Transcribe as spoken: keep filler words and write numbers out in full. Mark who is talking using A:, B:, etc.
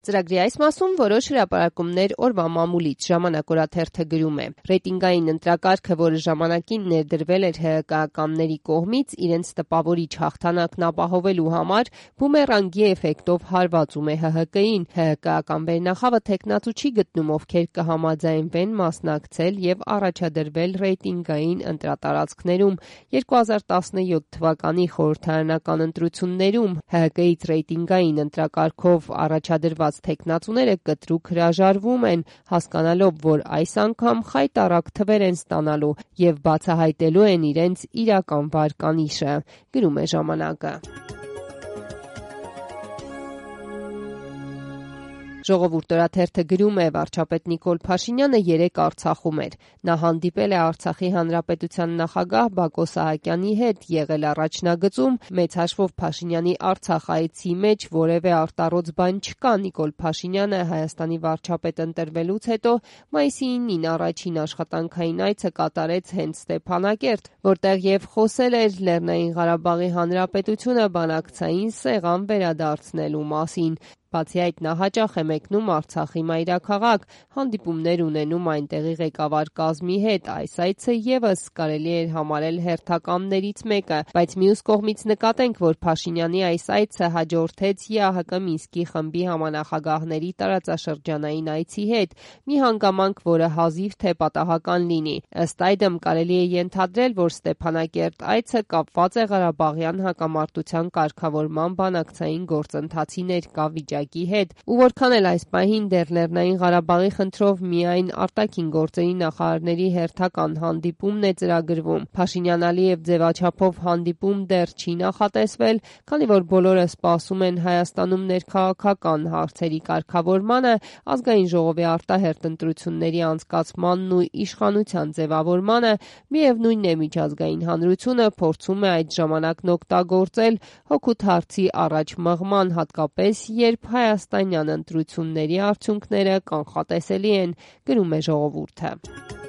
A: Ծրագրի այս մասում որոշ հրապարակումներ օրվա մամուլից ժամանակ օրաթերթը գրում է. ռեյտինգային ընտրակարգը, որը ժամանակին ներդրվել էր ՀՀԿ-ականների կողմից իրենց տպավորիչ հաղթանակն ապահովելու համար, բումերանգի էֆեկտով հարվածում է ՀՀԿ-ին։ ՀՀԿ-ական վերնախավը թեկնածու չի գտնում, ովքեր կհամաձայնվեն մասնակցել եւ առաջադրվել ռեյտինգային ընտրատարածքներում։ երկու հազար տասնյոթ թվականի խորհրդարանական ընտրություններում ՀՀԿ-ից ռեյտինգային ընտրակարգով առաջադրված թեկնածուները կտրուկ հրաժարվում են, հասկանալով, որ այս անգամ խայտառակ թվեր են ստանալու եւ բացահայտելու են իրենց իրական վարկանիշը, գրում է ժամանակը։ Ժողովուրդ օրաթերթը գրում է. վարչապետ Նիկոլ Փաշինյանը երեկ Արցախում էր։ Նա հանդիպել է Արցախի հանրապետության նախագահ Բակո Սահակյանի հետ, եղել առաջնագծում, մեծ հաշվով Փաշինյանի Արցախ այցի մեջ որևէ արտառոց բան չկա։ Նիկոլ Փաշինյանը Հայաստանի վարչապետ ընտրվելուց հետո մայիսի իննին առաջին աշխատանքային այցը կատարեց հենց Ստեփանակերտ, որտեղ եւ խոսել էր Լեռնային Ղարաբաղի Հանրապետությունը բանակցային սեղան վերադարձնելու մասին։ Բացի այդ, նա հաճախ է մեկնում Արցախի մայրաքաղաք, հանդիպումներ ունենում այնտեղի ղեկավար կազմի հետ։ Այս այցը եւս կարելի է համարել հերթականներից մեկը, բայց մյուս կողմից նկատենք, որ Փաշինյանի այս այցը հաջորդեց ԵԱՀԿ Մինսկի խմբի համանախագահների տարածաշրջանային այցի հետ, մի հանգամանք, որը հազիվ թե պատահական լինի։ Ըստ այդմ կարելի է ենթադրել, որ Ստեփանակերտ այցը կապված է Ղարաբաղյան հակամարտության կարգավորման բանակցային գործընթացի ներկա վիճակի հետ, ու որքան էլ այս պահին դեռ Լեռնային Ղարաբաղի խնդրով միայն արտաքին գործերի նախարարների հերթական հանդիպումն է ծրագրվում։ Փաշինյան-Ալիև ձևաչափով հանդիպում դեռ չի նախատեսվել, քանի որ բոլորը սպասում են Հայաստանում ներքաղաքական հարցերի կարգավորմանը, ազգային ժողովի արտահերթ ընտրությունների անցկացմանն ու իշխանության ձևավորմանը, միևնույնն է միջազգային հանրությունը փորձում է այդ ժամանակն օգտագործել հօգուտ հարցի առաջ մղման, հատկապես երբ հայաստանյան ընտրությունների արդյունքները կանխատեսելի են, գրում է Ժողովուրդը։